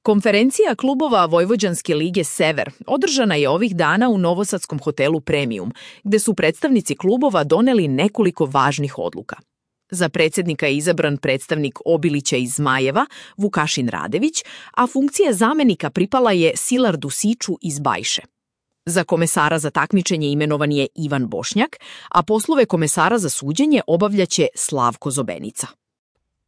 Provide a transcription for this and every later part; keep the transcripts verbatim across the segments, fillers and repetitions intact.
Konferencija klubova Vojvođanske lige Sever održana je ovih dana u novosadskom hotelu Premium, gde su predstavnici klubova doneli nekoliko važnih odluka. Za predsjednika je izabran predstavnik Obilića iz Zmajeva, Vukašin Radević, a funkcija zamenika pripala je Silardu Siču iz Bajše. Za komesara za takmičenje imenovan je Ivan Bošnjak, a poslove komesara za suđenje obavljaće Slavko Zobenica.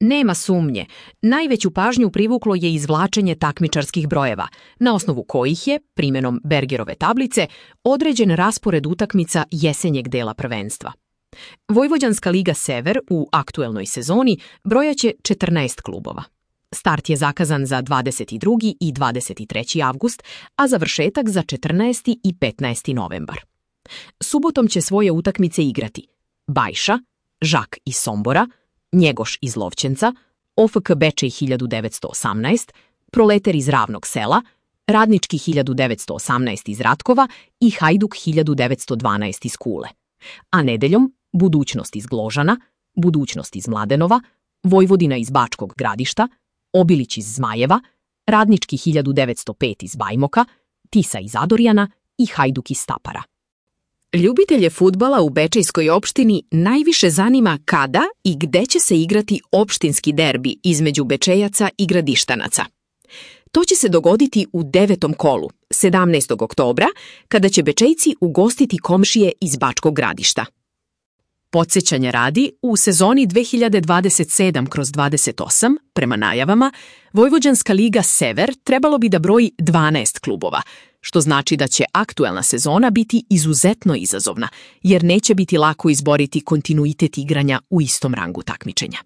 Nema sumnje, najveću pažnju privuklo je izvlačenje takmičarskih brojeva, na osnovu kojih je, primjenom Bergerove tablice, određen raspored utakmica jesenjeg dela prvenstva. Vojvođanska liga Sever u aktuelnoj sezoni brojaće četrnaest klubova. Start je zakazan za dvadeset drugi i dvadeset treći avgust, a završetak za četrnaesti i petnaesti novembar. Subotom će svoje utakmice igrati Bajša, Žak iz Sombora, Njegoš iz Lovćenca, O F K Bečej hiljadu devetsto osamnaest, Proleter iz Ravnog sela, Radnički hiljadu devetsto osamnaest iz Ratkova i Hajduk hiljadu devetsto dvanaest iz Kule. A nedeljom Budućnost iz Gložana, Budućnost iz Mladenova, Vojvodina iz Bačkog Gradišta, Obilić iz Zmajeva, Radnički hiljadu devetsto pet iz Bajmoka, Tisa iz Adorjana i Hajduk iz Stapara. Ljubitelje fudbala u Bečejskoj opštini najviše zanima kada i gde će se igrati opštinski derbi između Bečejaca i Gradištanaca. To će se dogoditi u devetom kolu, sedamnaestog oktobra, kada će Bečejci ugostiti komšije iz Bačkog Gradišta. Podsjećanja radi, u sezoni dve hiljade dvadeset sedam kroz dvadeset osam, prema najavama, Vojvođanska liga Sever trebalo bi da broji dvanaest klubova, što znači da će aktuelna sezona biti izuzetno izazovna, jer neće biti lako izboriti kontinuitet igranja u istom rangu takmičenja.